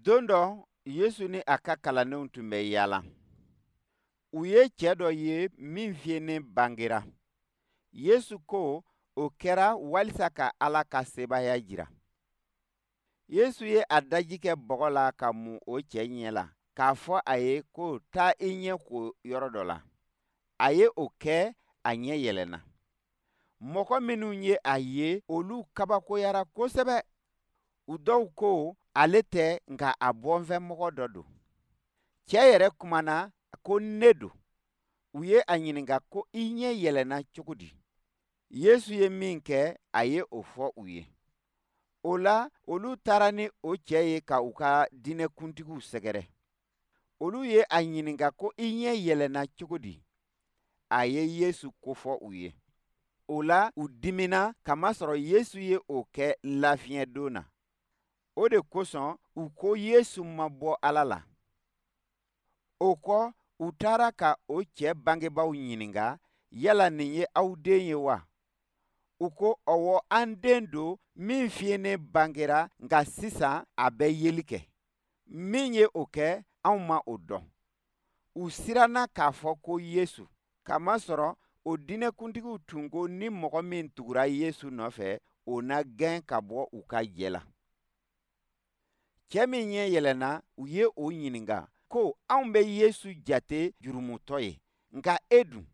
Don dɔ, Yesu ni a ka kalandenw tun bɛ yaala. U ye cɛ dɔ ye min fiyennen bangera. Yesu ko o kɛra walisa ka Ala ka sebaaya jira. Yesu ye a daji kɛ bɔgɔ la ka mun o cɛ ɲɛ la, k'a fɔ a ye ko taa i ɲɛ ko yɔrɔ dɔ la. A ye o kɛ, a ɲɛ yɛlɛnna. Mɔgɔ minnu ye a ye, olu kabakoyara kosɛbɛ. U dɔw ko ale tɛ, nka a bɔnfɛmɔgɔ dɔ don. Cɛ yɛrɛ kumana ko ne don. U ye a ɲininka ko i ɲɛ yɛlɛnna cogo di? Yesu ye min kɛ, a ye o fɔ u ye. O la, olu taara ni o cɛ ye ka u ka diinɛkuntigiw sɛgɛrɛ. Olu ye a ɲininka ko i ɲɛ yɛlɛnna cogo di? A ye Yesu kofɔ u ye. O la, u dimina kamasɔrɔ Yesu ye o kɛ lafiɲɛ don na. O de kosɔn u ko Yesu ma bɔ Ala la. O kɔ, u taara ka o cɛ bangebaaw ɲininka, yala nin ye aw den ye wa? U ko, ɔwɔ, an den don min fiyennen bangera, nka sisan a bɛ yeli kɛ. Min ye o kɛ, anw ma o dɔn. U siranna k'a fɔ ko Yesu, kamasɔrɔ o diinɛkuntigiw tun ko ni mɔgɔ min tugura Yesu nɔfɛ, o na gɛn ka bɔ u ka jɛ la. Cɛ min ɲɛ yɛlɛnna, u ye o ɲininka ko anw bɛ Yesu jate jurumutɔ ye, nka e dun?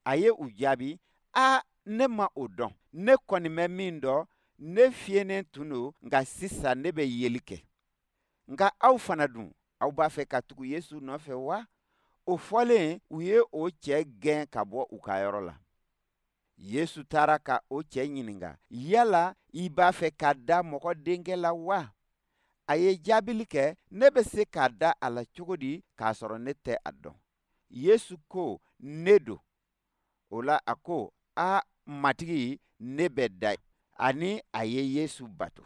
A ye u jaabi, a ne ma o dɔn. Ne kɔni bɛ min dɔn, ne fiyennen tun don, nka sisan ne bɛ yeli kɛ. Nka aw fana dun, aw b'a fɛ ka tugu Yesu nɔfɛ wa? O fɔlen, u ye o cɛ gɛn ka bɔ u ka yɔrɔ la. Yesu taara ka o cɛ ɲininka, yala i b'a fɛ ka da mɔgɔ denkɛ la wa? A ye jaabili kɛ, ne bɛ se ka da a la cogo di k'a sɔrɔ ne tɛ a dɔn? Yesu ko, ne don. O la a ko, a Matigi, ne bɛ da. Ani a ye Yesu bato.